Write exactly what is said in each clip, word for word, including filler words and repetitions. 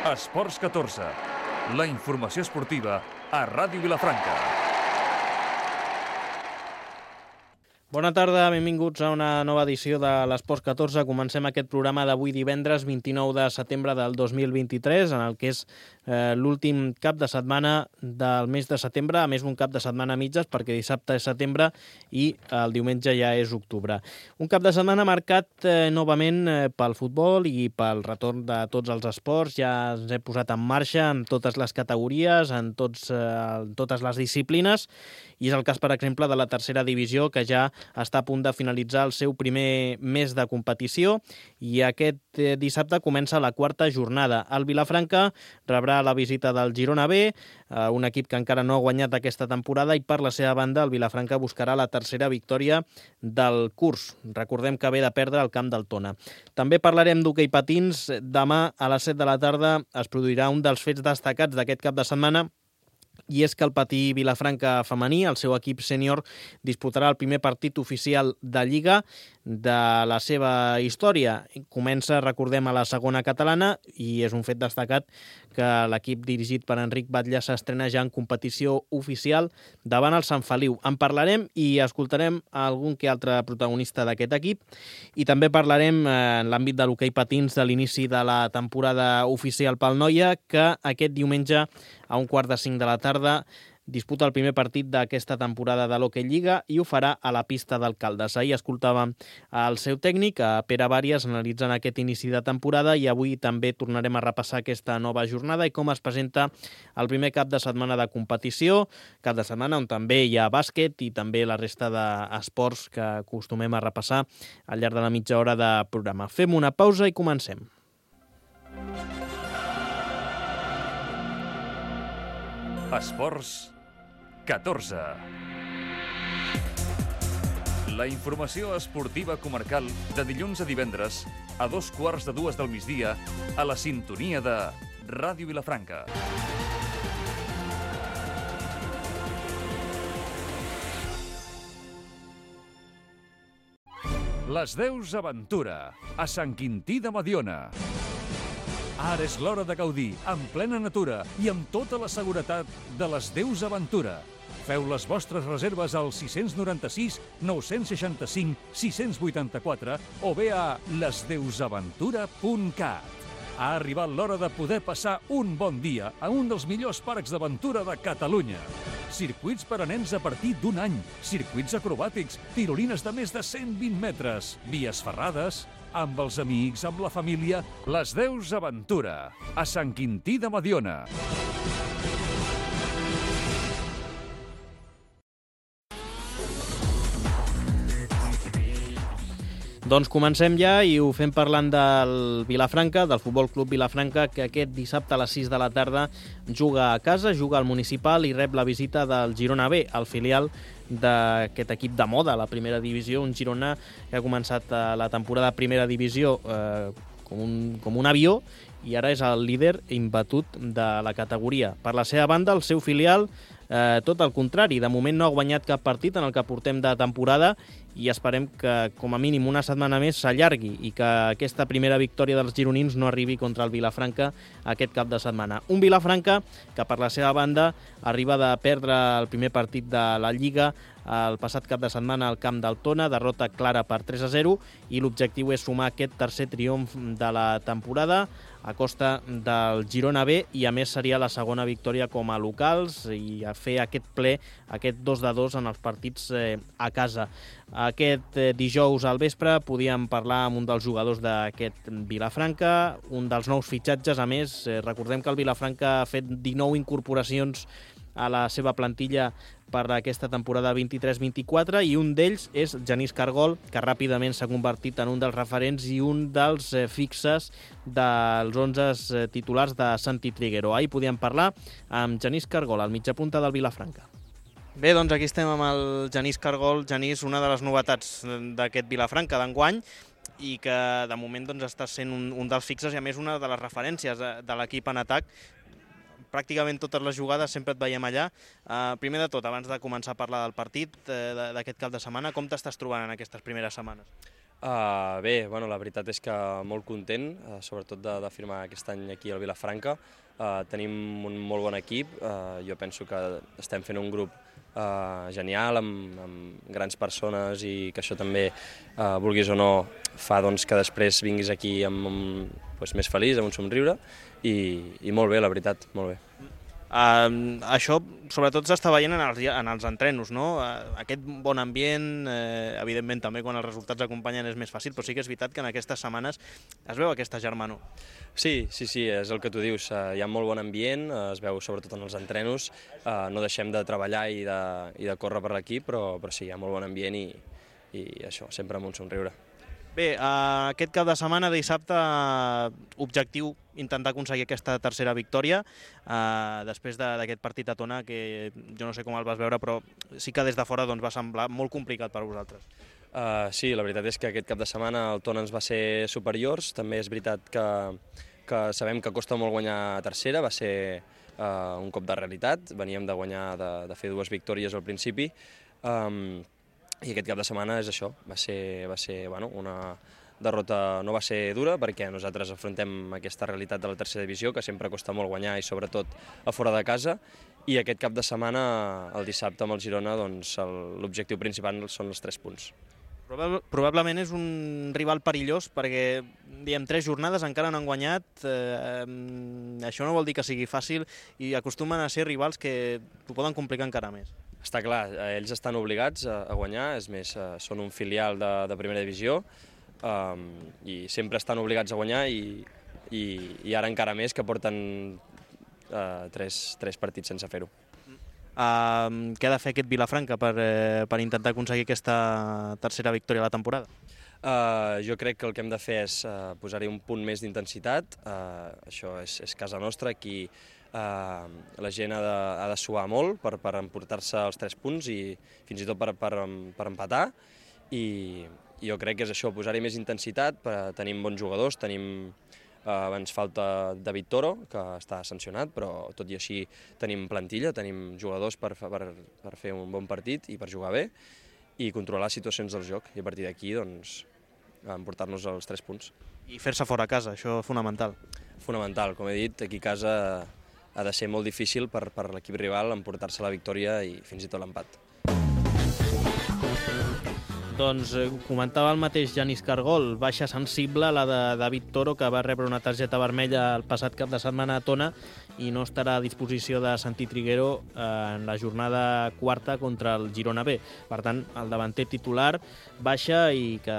Esports catorze, la informació esportiva a Ràdio Vilafranca. Bona tarda, benvinguts a una nova edició de l'Esports catorze. Comencem aquest programa d'avui divendres vint-i-nou de setembre del dos mil vint-i-tres, en el que és eh, l'últim cap de setmana del mes de setembre, a més un cap de setmana a mitges, perquè dissabte és setembre i el diumenge ja és octubre. Un cap de setmana marcat eh, novament eh, pel futbol i pel retorn de tots els esports. Ja ens hem posat en marxa en totes les categories, en, tots, eh, en totes les disciplines, i és el cas, per exemple, de la tercera divisió, que ja està a punt de finalitzar el seu primer mes de competició, i aquest eh, dissabte comença la quarta jornada. El Vilafranca rebrà la visita del Girona B, eh, un equip que encara no ha guanyat aquesta temporada, i per la seva banda el Vilafranca buscarà la tercera victòria del curs. Recordem que ve de perdre al camp del Tona. També parlarem d'hoquei patins. Demà a les set de la tarda es produirà un dels fets destacats d'aquest cap de setmana, i és que el patí Vilafranca femení, el seu equip sènior, disputarà el primer partit oficial de Lliga de la seva història. Comença, recordem, a la segona catalana, i és un fet destacat que l'equip dirigit per Enric Batlle s'estrena ja en competició oficial davant el Sant Feliu. En parlarem i escoltarem algun que altre protagonista d'aquest equip, i també parlarem eh, en l'àmbit de l'hoquei patins de l'inici de la temporada oficial pel Noia, que aquest diumenge a un quart de cinc de la tarda disputa el primer partit d'aquesta temporada de l'Hockey Lliga, i ho farà a la pista d'Alcaldes. Ahir escoltàvem el seu tècnic, a Pere Bàries, analitzant aquest inici de temporada, i avui també tornarem a repassar aquesta nova jornada i com es presenta el primer cap de setmana de competició, cap de setmana on també hi ha bàsquet i també la resta d'esports que acostumem a repassar al llarg de la mitja hora de programa. Fem una pausa i comencem. Esports catorze. La informació esportiva comarcal de dilluns a divendres a dos quarts de dues del migdia a la sintonia de Ràdio Vilafranca. Les Deus Aventura, a Sant Quintí de Mediona. Ara és l'hora de gaudir, en plena natura i amb tota la seguretat de les Deus Aventura. Feu les vostres reserves al sis nou sis, nou seixanta cinc, sis vuitanta-quatre o bé a les deus aventura punt cat. Ha arribat l'hora de poder passar un bon dia a un dels millors parcs d'aventura de Catalunya. Circuits per a nens a partir d'un any, circuits acrobàtics, tirolines de més de cent vint metres, vies ferrades, amb els amics, amb la família, les Deus Aventura, a Sant Quintí de Mediona. Doncs comencem ja, i ho fem parlant del Vilafranca, del Futbol Club Vilafranca, que aquest dissabte a les sis de la tarda juga a casa, juga al Municipal i rep la visita del Girona B, el filial d'aquest equip de moda a la primera divisió, un Girona que ha començat la temporada de primera divisió eh, com, un, com un avió, i ara és el líder imbatut de la categoria. Per la seva banda, el seu filial, eh, tot el contrari, de moment no ha guanyat cap partit en el que portem de temporada, i esperem que com a mínim una setmana més s'allargui i que aquesta primera victòria dels gironins no arribi contra el Vilafranca aquest cap de setmana. Un Vilafranca que per la seva banda arriba de perdre el primer partit de la Lliga el passat cap de setmana al camp del Tona, derrota clara per tres a zero, i l'objectiu és sumar aquest tercer triomf de la temporada a costa del Girona B, i a més seria la segona victòria com a locals i a fer aquest ple, aquest dos de dos en els partits eh, a casa. Aquest eh, dijous al vespre podíem parlar amb un dels jugadors d'aquest Vilafranca, un dels nous fitxatges. A més, eh, recordem que el Vilafranca ha fet dinou incorporacions a la seva plantilla per aquesta temporada vint-i-tres vint-i-quatre, i un d'ells és Genís Cargol, que ràpidament s'ha convertit en un dels referents i un dels eh, fixes dels onze eh, titulars de Santi Triguero. Ahir podíem parlar amb Genís Cargol, al mitjapunta del Vilafranca. Bé, doncs aquí estem amb el Genís Cargol. Genís, una de les novetats d'aquest Vilafranca d'enguany, i que de moment doncs, està sent un, un dels fixes i a més una de les referències de, de l'equip en atac. Pràcticament totes les jugades sempre et veiem allà. Uh, primer de tot, abans de començar a parlar del partit uh, d'aquest cap de setmana, com t'estàs trobant en aquestes primeres setmanes? Uh, bé, bueno, la veritat és que molt content, uh, sobretot de, de firmar aquest any aquí al Vilafranca. Uh, tenim un molt bon equip, uh, jo penso que estem fent un grup uh, genial, amb, amb grans persones, i que això també, uh, vulguis o no, fa doncs, que després vinguis aquí amb, amb, doncs, més feliç, amb un somriure, i, i molt bé, la veritat, molt bé. Uh, això sobretot s'està veient en els, en els entrenos, no? Uh, aquest bon ambient, uh, evidentment també quan els resultats acompanyen és més fàcil, però sí que és veritat que en aquestes setmanes es veu aquesta germanor. Sí, sí, sí, és el que tu dius, uh, hi ha molt bon ambient, uh, es veu sobretot en els entrenos, uh, no deixem de treballar i de, i de córrer per l'equip, però, però sí, hi ha molt bon ambient i, i això, sempre amb un somriure. Bé, uh, aquest cap de setmana, dissabte, objectiu intentar aconseguir aquesta tercera victòria, uh, després d'aquest partit a Tona, que jo no sé com el vas veure, però sí que des de fora doncs, va semblar molt complicat per a vosaltres. Uh, sí, la veritat és que aquest cap de setmana el Tona ens va ser superiors, també és veritat que, que sabem que costa molt guanyar a tercera, va ser uh, un cop de realitat, veníem de guanyar, de, de fer dues victòries al principi, um, i aquest cap de setmana és això, va ser, va ser bueno, una derrota, no va ser dura, perquè nosaltres afrontem aquesta realitat de la tercera divisió, que sempre costa molt guanyar, i sobretot a fora de casa, i aquest cap de setmana, el dissabte amb el Girona, doncs, l'objectiu principal són els tres punts. Probablement és un rival perillós, perquè diem tres jornades encara no han guanyat, eh, això no vol dir que sigui fàcil, i acostumen a ser rivals que t'ho poden complicar encara més. Està clar, ells estan obligats a, a guanyar, és més, són un filial de, de primera divisió, um, i sempre estan obligats a guanyar, i, i, i ara encara més que porten uh, tres, tres partits sense fer-ho. Uh, què ha de fer aquest Vilafranca per, eh, per intentar aconseguir aquesta tercera victòria a la temporada? Uh, jo crec que el que hem de fer és uh, posar-hi un punt més d'intensitat, uh, això és, és casa nostra, aquí uh, la gent ha de, ha de suar molt per, per emportar-se els tres punts i fins i tot per, per, per empatar, i, i jo crec que és això, posar-hi més intensitat, per, tenim bons jugadors, tenim... Uh, ens falta David Toro, que està sancionat, però tot i així tenim plantilla, tenim jugadors per, per, per fer un bon partit i per jugar bé i controlar situacions del joc, i a partir d'aquí doncs, emportar-nos els tres punts. I fer-se fora a casa, això és fonamental. Fonamental, com he dit, aquí a casa ha de ser molt difícil per, per l'equip rival emportar-se la victòria i fins i tot l'empat. Doncs eh, comentava el mateix Janis Cargol, baixa sensible la de David Toro, que va rebre una targeta vermella el passat cap de setmana a Tona i no estarà a disposició de Santi Triguero eh, en la jornada quarta contra el Girona B. Per tant, el davanter titular baixa i que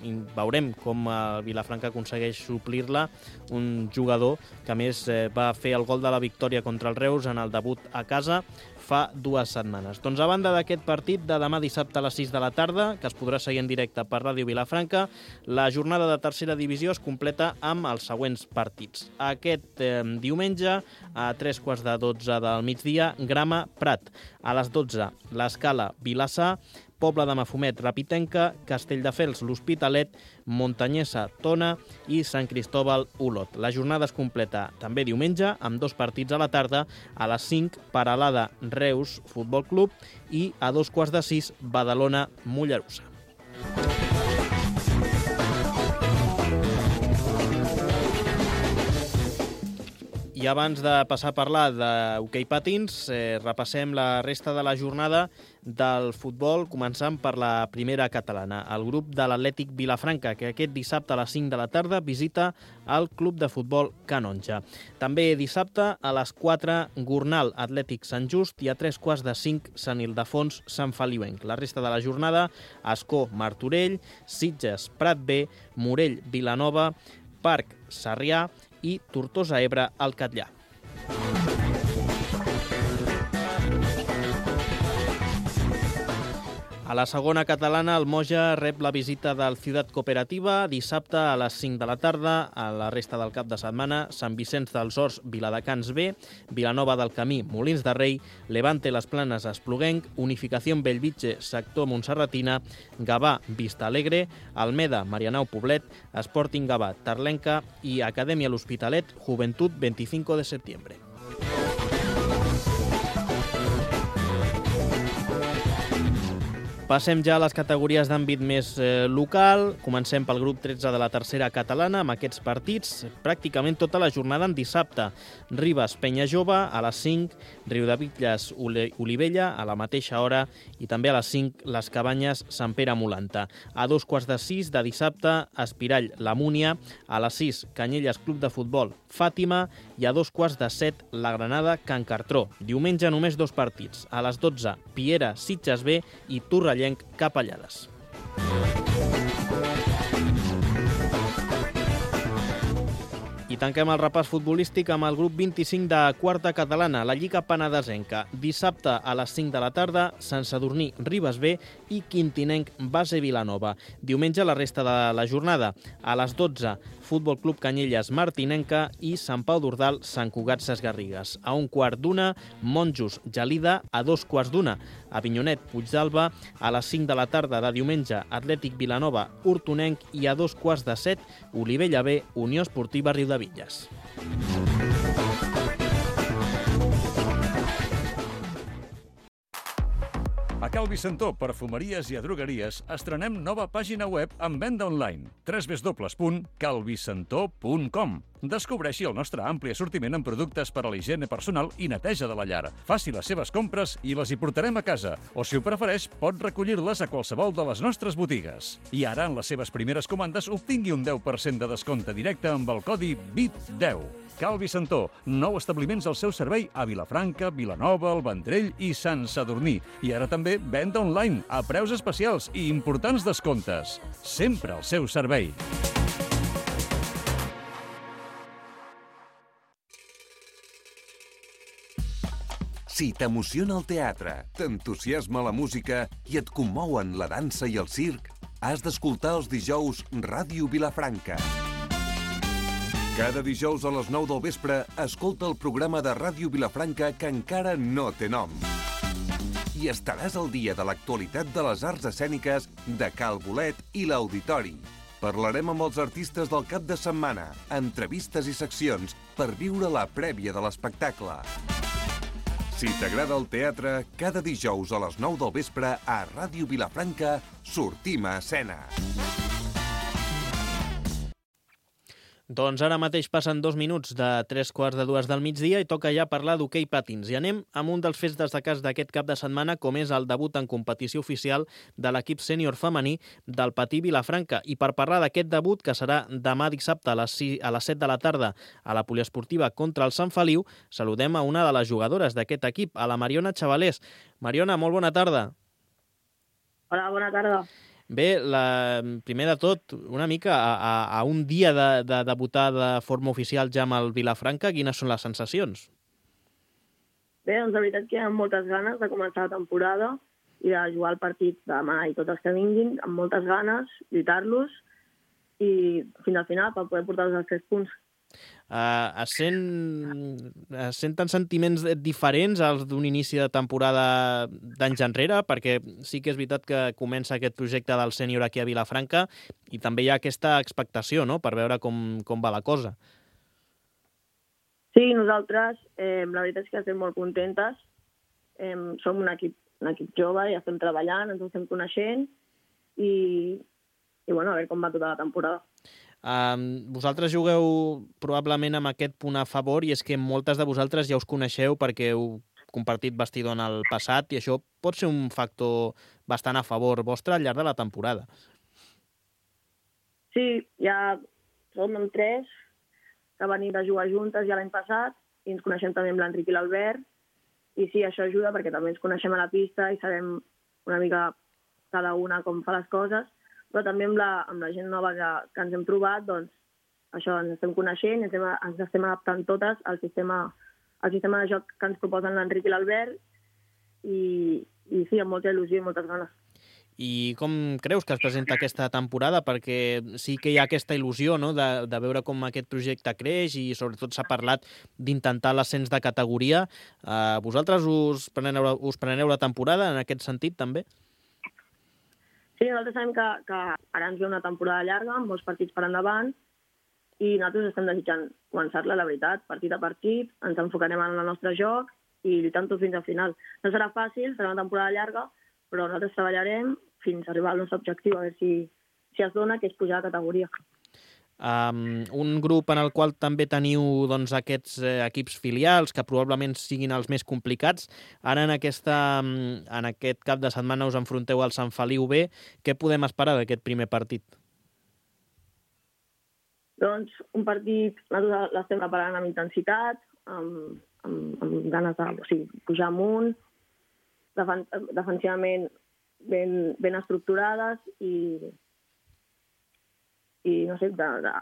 i veurem com el Vilafranca aconsegueix suplir-la, un jugador que a més eh, va fer el gol de la victòria contra el Reus en el debut a casa fa dues setmanes. Doncs a banda d'aquest partit de demà dissabte a les sis de la tarda, que es podrà seguir en directe per Ràdio Vilafranca, la jornada de tercera divisió es completa amb els següents partits. Aquest eh, diumenge, a tres quarts de dotze del migdia, Grama Prat. A les dotze, l'Escala Vilassar, Pobla de Mafumet, Rapitenca, Castelldefels, l'Hospitalet, Montanyesa, Tona i Sant Cristóbal, Olot. La jornada es completa també diumenge amb dos partits a la tarda, a les cinc, Peralada, Reus, Futbol Club, i a dos quarts de sis, Badalona, Mollerussa. I abans de passar a parlar d'hoquei patins, eh, repassem la resta de la jornada del futbol, començant per la primera catalana. El grup de l'Atlètic Vilafranca, que aquest dissabte a les cinc de la tarda visita el club de futbol Canonja. També dissabte a les quatre, Gornal Atlètic Sant Just, i a tres quarts de cinc, Sant Ildefons Sant Feliuenc. La resta de la jornada, Ascó Martorell, Sitges Prat B, Morell Vilanova, Parc Sarrià i Tortosa Ebre al Catllà. A la segona catalana, el Moja rep la visita del Ciutat Cooperativa dissabte a les cinc de la tarda. A la resta del cap de setmana, Sant Vicenç dels Horts, Viladecans B, Vilanova del Camí, Molins de Rei, Levante Les Planes, Espluguenc, Unificació Bellvitge, sector Montserratina, Gavà, Vista Alegre, Almeda, Marianao Poblet, Sporting Gavà, Tarlenca i Acadèmia L'Hospitalet, Juventud veinticinco de septiembre. Passem ja a les categories d'àmbit més eh, local. Comencem pel grup tretze de la tercera catalana, amb aquests partits pràcticament tota la jornada en dissabte. Ribes, Penya Jove, a les cinc, Riudebitlles, Olivella, a la mateixa hora, i també a les cinc, les Cabanyes, Sant Pere Molanta. A dos quarts de sis de dissabte, Espirall, la Múnia, a les sis, Canyelles, Club de Futbol, Fàtima, i a dos quarts de set, la Granada, Can Cartró. Diumenge només dos partits. A les dotze, Piera, Sitges B i Torrellenc, Capellades. I tanquem el repàs futbolístic amb el grup vint-i-cinc de quarta catalana, la Lliga Penedesenca. Dissabte a les cinc de la tarda, Sant Sadurní, Ribes B i Quintinenc, Base Vilanova. Diumenge la resta de la jornada. A les dotze, Futbol Club Canyelles, Martinenca i Sant Pau d'Ordal, Sant Cugat, Sesgarrigues. A un quart d'una, Monjos, Gelida. A dos quarts d'una, Avinyonet, Puigdalba. A les cinc de la tarda de diumenge, Atlètic Vilanova, Hortonenc. I a dos quarts de set, Olivella B, Unió Esportiva Riudebitlles. A Cal Vicentó, perfumeries i adrogueries, estrenem nova pàgina web amb venda online, w w w punt cal vicentó punt com. Descobreixi el nostre ampli assortiment en productes per a la higiene personal i neteja de la llar. Faci les seves compres i les hi portarem a casa, o si ho prefereix, pot recollir-les a qualsevol de les nostres botigues. I ara, en les seves primeres comandes, obtingui un deu per cent de descompte directe amb el codi V I T deu. Cal Vicentó, nou establiments al seu servei a Vilafranca, Vilanova, el Vendrell i Sant Sadurní. I ara també venda online, a preus especials i importants descomptes. Sempre al seu servei. Si t'emociona el teatre, t'entusiasma la música i et commouen la dansa i el circ, has d'escoltar els dijous Ràdio Vilafranca. Cada dijous a les nou del vespre, escolta el programa de Ràdio Vilafranca que encara no té nom. I estaràs al dia de l'actualitat de les arts escèniques de Cal Bolet i l'Auditori. Parlarem amb els artistes del cap de setmana, entrevistes i seccions per viure la prèvia de l'espectacle. Si t'agrada el teatre, cada dijous a les nou del vespre a Ràdio Vilafranca sortim a escena. Doncs ara mateix passen dos minuts de tres quarts de dues del migdia i toca ja parlar d'hoquei patins. I anem amb un dels fets destacats d'aquest cap de setmana, com és el debut en competició oficial de l'equip sènior femení del Patí Vilafranca. I per parlar d'aquest debut, que serà demà dissabte a les, a les set de la tarda a la poliesportiva contra el Sant Feliu, saludem a una de les jugadores d'aquest equip, a la Mariona Chavalés. Mariona, molt bona tarda. Hola, bona tarda. Bé, la, primer de tot, una mica a, a, a un dia de, de debutar de forma oficial ja amb el Vilafranca, quines són les sensacions? Bé, doncs la veritat que hi ha moltes ganes de començar la temporada i de jugar el partit demà i tots els que vinguin, amb moltes ganes, lluitar-los i fins al final per poder portar-los als tres punts. Uh, es, sent, es senten sentiments diferents als d'un inici de temporada d'anys enrere, perquè sí que és veritat que comença aquest projecte del sènior aquí a Vilafranca i també hi ha aquesta expectació, no?, per veure com, com va la cosa. Sí, nosaltres, eh, la veritat és que estem molt contentes. Eh, som un equip, un equip jove i estem treballant, ens estem coneixent i, i bueno, a veure com va tota la temporada. Um, vosaltres jugueu probablement amb aquest punt a favor i és que moltes de vosaltres ja us coneixeu perquè heu compartit vestidor en el passat i això pot ser un factor bastant a favor vostre al llarg de la temporada. Sí, ja som amb tres que venim de jugar juntes ja l'any passat i ens coneixem també amb l'Enric i l'Albert i sí, això ajuda perquè també ens coneixem a la pista i sabem una mica cada una com fa les coses, però també amb la, amb la gent nova que, que ens hem trobat, doncs això, ens estem coneixent, ens estem, ens estem adaptant totes al sistema, al sistema de joc que ens proposen l'Enric i l'Albert i, i sí, amb molta il·lusió i moltes ganes. I com creus que es presenta aquesta temporada? Perquè sí que hi ha aquesta il·lusió, no?, de, de veure com aquest projecte creix i sobretot s'ha parlat d'intentar l'ascens de categoria. Uh, vosaltres us preneu, us preneu la temporada en aquest sentit també? Sí, nosaltres sabem que, que ara ens ve una temporada llarga, amb molts partits per endavant, i nosaltres estem desitjant començar-la, la veritat, partit a partit, ens enfocarem en el nostre joc i lluitant tot fins al final. No serà fàcil, serà una temporada llarga, però nosaltres treballarem fins a arribar al nostre objectiu, a veure si, si es dona, que és pujar de categoria. Um, un grup en el qual també teniu doncs, aquests eh, equips filials que probablement siguin els més complicats. Ara en, aquesta, en aquest cap de setmana us enfronteu al Sant Feliu B. Què podem esperar d'aquest primer partit? Doncs un partit, nosaltres l'estem preparant amb intensitat, amb, amb, amb ganes de o sigui, pujar amunt, defen defensivament ben, ben estructurades i, i no sé, de, de,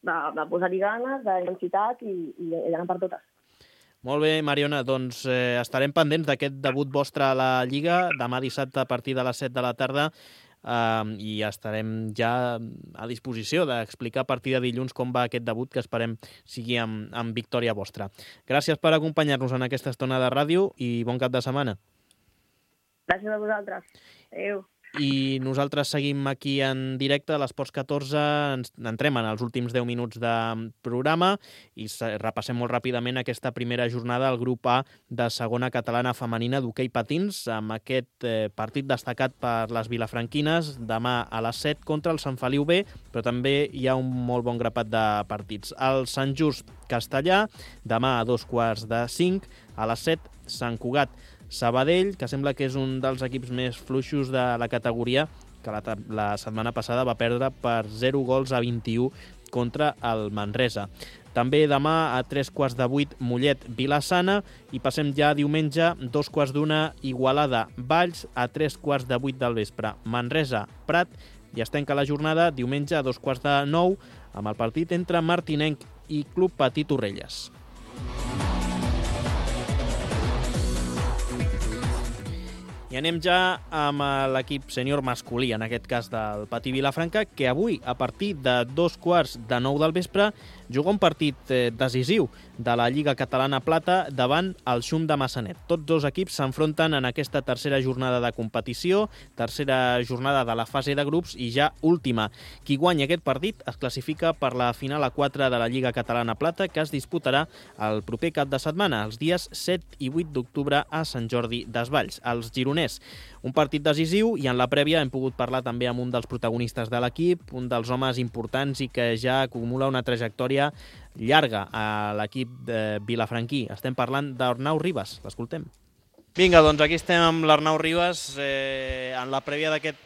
de, de posar-hi ganes, d'intensitat i, i d'anar per totes. Molt bé, Mariona, doncs eh, estarem pendents d'aquest debut vostre a la Lliga, demà dissabte a partir de les set de la tarda, eh, i estarem ja a disposició d'explicar a partir de dilluns com va aquest debut, que esperem sigui amb, amb victòria vostra. Gràcies per acompanyar-nos en aquesta estona de ràdio i bon cap de setmana. Gràcies a vosaltres. Adéu. I nosaltres seguim aquí en directe a l'Esports catorze, ens entrem en els últims deu minuts de programa i repassem molt ràpidament aquesta primera jornada al grup A de segona catalana femenina d'hoquei patins, amb aquest eh, partit destacat per les vilafranquines demà a les set contra el Sant Feliu B, però també hi ha un molt bon grapat de partits. El Sant Just Castellà, demà a dos quarts de cinc, a les set Sant Cugat Sabadell, que sembla que és un dels equips més fluixos de la categoria, que la, la setmana passada va perdre per zero gols a vint-i-u contra el Manresa. També demà a tres quarts de vuit Mollet Vilassana i passem ja diumenge dos quarts d'una Igualada Valls, a tres quarts de vuit del vespre Manresa Prat, i es tanca la jornada diumenge a dos quarts de nou amb el partit entre Martinenc i Club Patí Torrelles. I anem ja amb l'equip sènior masculí, en aquest cas del Patí Vilafranca, que avui, a partir de dos quarts de nou del vespre, juga un partit decisiu de la Lliga Catalana Plata davant el Xum de Massanet. Tots dos equips s'enfronten en aquesta tercera jornada de competició, tercera jornada de la fase de grups i ja última. Qui guanya aquest partit es classifica per la final a quatre de la Lliga Catalana Plata, que es disputarà el proper cap de setmana, els dies set i vuit d'octubre a Sant Jordi Desvalls, als gironers. Un partit decisiu i en la prèvia hem pogut parlar també amb un dels protagonistes de l'equip, un dels homes importants i que ja acumula una trajectòria llarga a l'equip de vilafranquí. Estem parlant d'Arnau Ribas. L'escoltem. Vinga, doncs aquí estem amb l'Arnau Ribas eh, en la prèvia d'aquest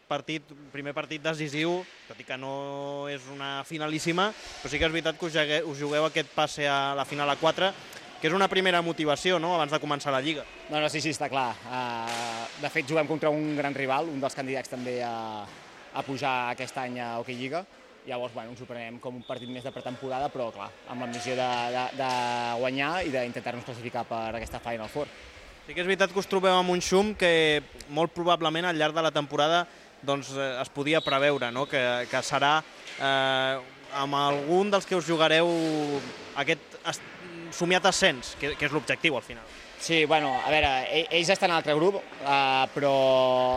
partit, primer partit decisiu, tot i que no és una finalíssima, però sí que és veritat que us jugueu, us jugueu aquest passe a la final a quatre, que és una primera motivació, no?, abans de començar la Lliga. No, no, sí, sí, està clar. Uh, de fet, juguem contra un gran rival, un dels candidats també a, a pujar aquest any a Hockey Lliga. Llavors, bueno, ens ho prenem com un partit més de pretemporada, però, clar, amb l'ambició de, de, de guanyar i d'intentar-nos classificar per aquesta Final Four. Sí que és veritat que us trobeu amb un Xum que molt probablement al llarg de la temporada doncs, es podia preveure, no?, que, que serà eh, amb algun dels que us jugareu aquest somiat ascens, que, que és l'objectiu al final. Sí, bueno, a veure, ells estan en un altre grup, uh, però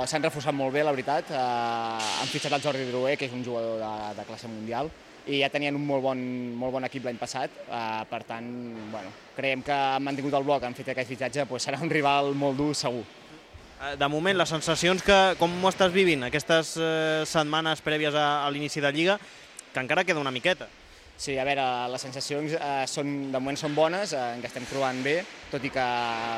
s'han reforçat molt bé, la veritat. Uh, han fitxat el Jordi Drouet, que és un jugador de, de classe mundial, i ja tenien un molt bon, molt bon equip l'any passat. Uh, per tant, bueno, creiem que han mantingut el bloc, han fet aquest fitxatge, doncs serà un rival molt dur, segur. De moment, les sensacions, que com ho estàs vivint aquestes eh, setmanes prèvies a, a l'inici de Lliga, que encara queda una miqueta. Sí, a veure, les sensacions eh, són, de moment són bones, eh, ens estem trobant bé, tot i que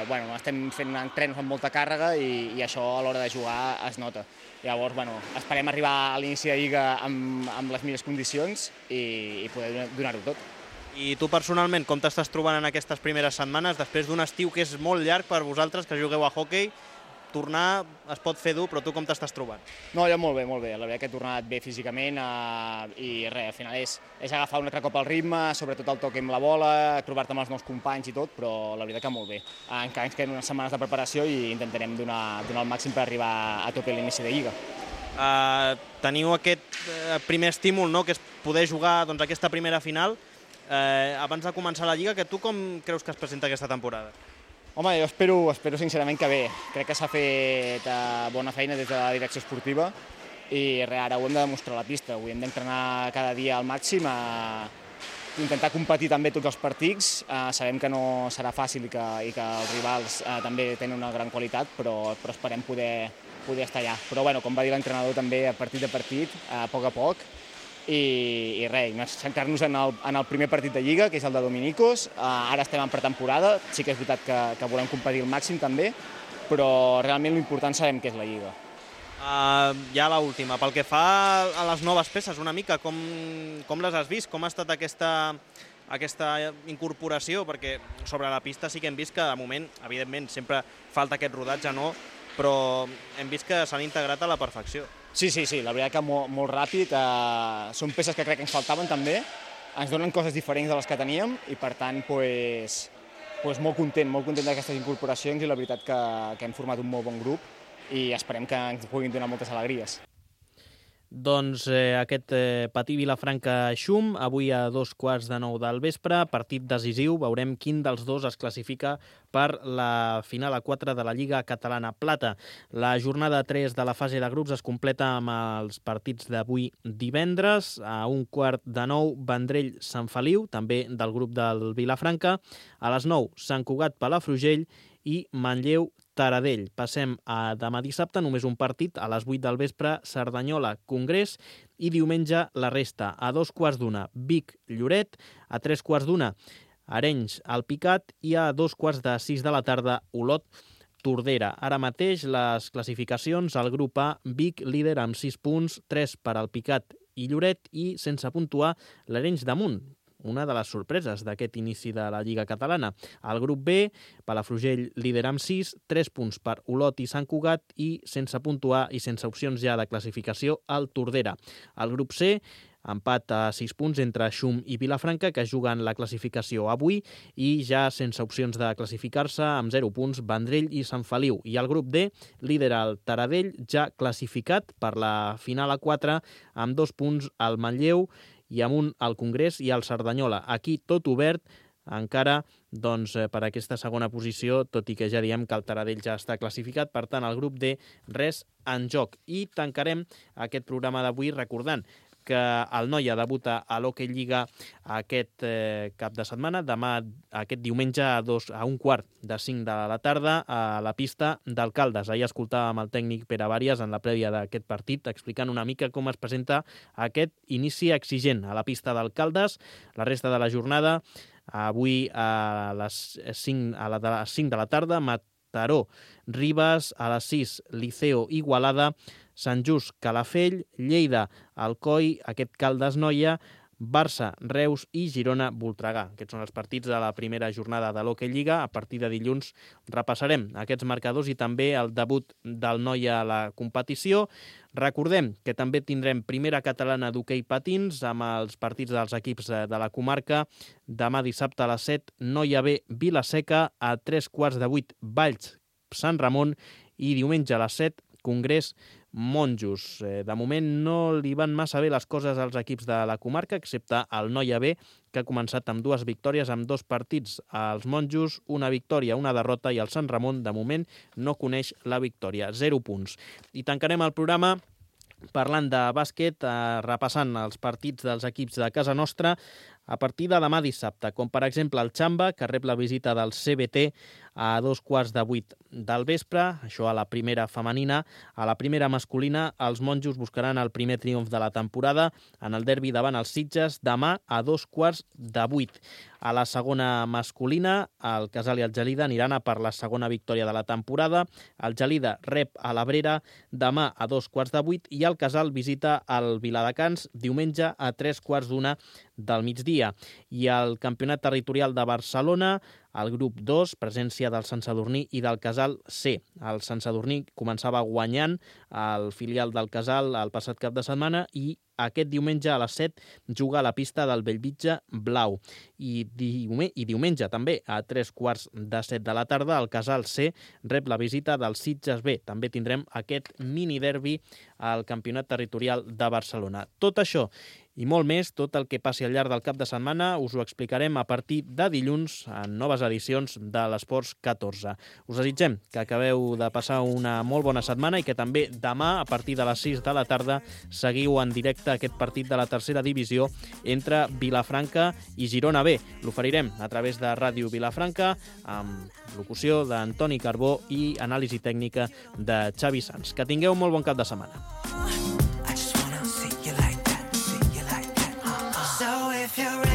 bueno, estem fent entrenos amb molta càrrega i, i això a l'hora de jugar es nota. Llavors, bueno, esperem arribar a l'inici de Lliga amb, amb les millors condicions i, i poder donar-ho tot. I tu personalment, com t'estàs trobant en aquestes primeres setmanes, després d'un estiu que és molt llarg per vosaltres, que jugueu a hoquei, tornar es pot fer dur, però tu com t'estàs trobant? No, jo molt bé, molt bé. La veritat que he tornat bé físicament eh, i res, al final és, és agafar un altre cop el ritme, sobretot el toc amb la bola, trobar-te amb els nous companys i tot, però la veritat que molt bé. Encara ens queden unes setmanes de preparació i intentarem donar, donar el màxim per arribar a tope a l'inici de Lliga. Uh, teniu aquest uh, primer estímul, no?, que és poder jugar doncs, aquesta primera final. Uh, abans de començar la Lliga, que tu com creus que es presenta aquesta temporada? Home, jo espero, espero sincerament que bé. Crec que s'ha fet eh, bona feina des de la direcció esportiva i re, ara ho hem de demostrar a la pista. Ho hem d'entrenar cada dia al màxim a, intentar competir també tots els partits. Eh, sabem que no serà fàcil i que, i que els rivals eh, també tenen una gran qualitat, però, però esperem poder, poder estar allà. Però bueno, com va dir l'entrenador també, a partit a partit, a poc a poc, i, i res, centrar-nos en, el, en el primer partit de Lliga, que és el de Dominicos. Eh, ara estem en pretemporada, sí que és veritat que, que volem competir al màxim també, però realment l'important sabem que és la Lliga. Uh, ja l'última, pel que fa a les noves peces, una mica, com, com les has vist? Com ha estat aquesta, aquesta incorporació? Perquè sobre la pista sí que hem vist que, de moment, evidentment, sempre falta aquest rodatge, no? Però hem vist que s'han integrat a la perfecció. Sí, sí, sí, la veritat que molt, molt ràpid. Uh, són peces que crec que ens faltaven també, ens donen coses diferents de les que teníem i, per tant, pues, pues molt content, molt content d'aquestes incorporacions i la veritat que, que hem format un molt bon grup i esperem que ens puguin donar moltes alegries. Doncs eh, aquest eh, Patí Vilafranca-Xum, avui a dos quarts de nou del vespre, partit decisiu, veurem quin dels dos es classifica per la final a quatre de la Lliga Catalana Plata. La jornada tres de la fase de grups es completa amb els partits d'avui divendres, a un quart de nou Vendrell-Sant Feliu, també del grup del Vilafranca, a les nou Sant Cugat-Palafrugell i Manlleu-Taradell. Passem a demà dissabte, només un partit, a les vuit del vespre, Cerdanyola-Congrés, i diumenge la resta. A dos quarts d'una, Vic-Lloret, a tres quarts d'una, Arenys-Alpicat, i a dos quarts de sis de la tarda, Olot-Tordera. Ara mateix les classificacions, el grup A, Vic, líder amb sis punts, tres per Alpicat i Lloret, i sense puntuar l'Arenys de Munt, una de les sorpreses d'aquest inici de la Lliga Catalana. Al grup B, Palafrugell líder amb sis, tres punts per Olot i Sant Cugat i sense puntuar i sense opcions ja de classificació al Tordera. Al grup C, empat a sis punts entre Xum i Vilafranca, que juguen la classificació avui, i ja sense opcions de classificar-se, amb zero punts, Vendrell i Sant Feliu. I al grup D, líder el Taradell, ja classificat per la final a quatre, amb dos punts al Manlleu, i amunt al Congrés i al Cerdanyola. Aquí tot obert, encara doncs, per aquesta segona posició, tot i que ja diem que el Taradell ja està classificat, per tant, al grup D res en joc. I tancarem aquest programa d'avui recordant que el Noia debuta a l'Hockey Lliga aquest eh, cap de setmana, demà, aquest diumenge a, dos, a un quart de cinc de la tarda a la pista d'Alcaldes. Ahir escoltàvem el tècnic Pere Vàries en la prèvia d'aquest partit explicant una mica com es presenta aquest inici exigent a la pista d'Alcaldes. La resta de la jornada, avui a les cinc, a la de les cinc de la tarda, Mataró, Ribes, a les sis, Liceo, Igualada, Sant Just, Calafell, Lleida, Alcoi, aquest Caldes Noia, Barça, Reus i Girona, Voltregà. Aquests són els partits de la primera jornada de l'Hockey Lliga. A partir de dilluns repassarem aquests marcadors i també el debut del Noia a la competició. Recordem que també tindrem primera catalana d'hoquei patins amb els partits dels equips de la comarca. Demà dissabte a les set, Noia B, Vila-seca, a tres quarts de vuit, Valls, Sant Ramon, i diumenge a les set, Congrés, Monjos. De moment no li van massa bé les coses als equips de la comarca, excepte el Noia B, que ha començat amb dues victòries, amb dos partits. Els Monjos, una victòria, una derrota, i el Sant Ramon, de moment, no coneix la victòria. Zero punts. I tancarem el programa parlant de bàsquet, eh, repassant els partits dels equips de casa nostra a partir de demà dissabte, com per exemple el Xamba, que rep la visita del C B T a dos quarts de vuit del vespre, això a la primera femenina. A la primera masculina, els monjos buscaran el primer triomf de la temporada en el derbi davant els Sitges, demà a dos quarts de vuit. A la segona masculina, el Casal i el Gelida aniran a per la segona victòria de la temporada. El Gelida rep a l'Abrera demà a dos quarts de vuit i el Casal visita el Viladecans diumenge a tres quarts d'una del migdia. I al Campionat Territorial de Barcelona, al grup dos, presència del Sant Sadurní i del Casal C. El Sant Sadurní començava guanyant el filial del Casal el passat cap de setmana i aquest diumenge a les set juga a la pista del Bellvitge Blau. I, diume, i diumenge també a tres quarts de set de la tarda el Casal C rep la visita del Sitges B. També tindrem aquest mini derbi al Campionat Territorial de Barcelona. Tot això i molt més, tot el que passi al llarg del cap de setmana, us ho explicarem a partir de dilluns en noves edicions de l'Esports catorze. Us desitgem que acabeu de passar una molt bona setmana i que també demà, a partir de les sis de la tarda, seguiu en directe directe aquest partit de la tercera divisió entre Vilafranca i Girona B. L'oferirem a través de Ràdio Vilafranca amb locució d'Antoni Carbó i anàlisi tècnica de Xavi Sans. Que tingueu molt bon cap de setmana. I just wanna see you like that, see you like that. So if you're ready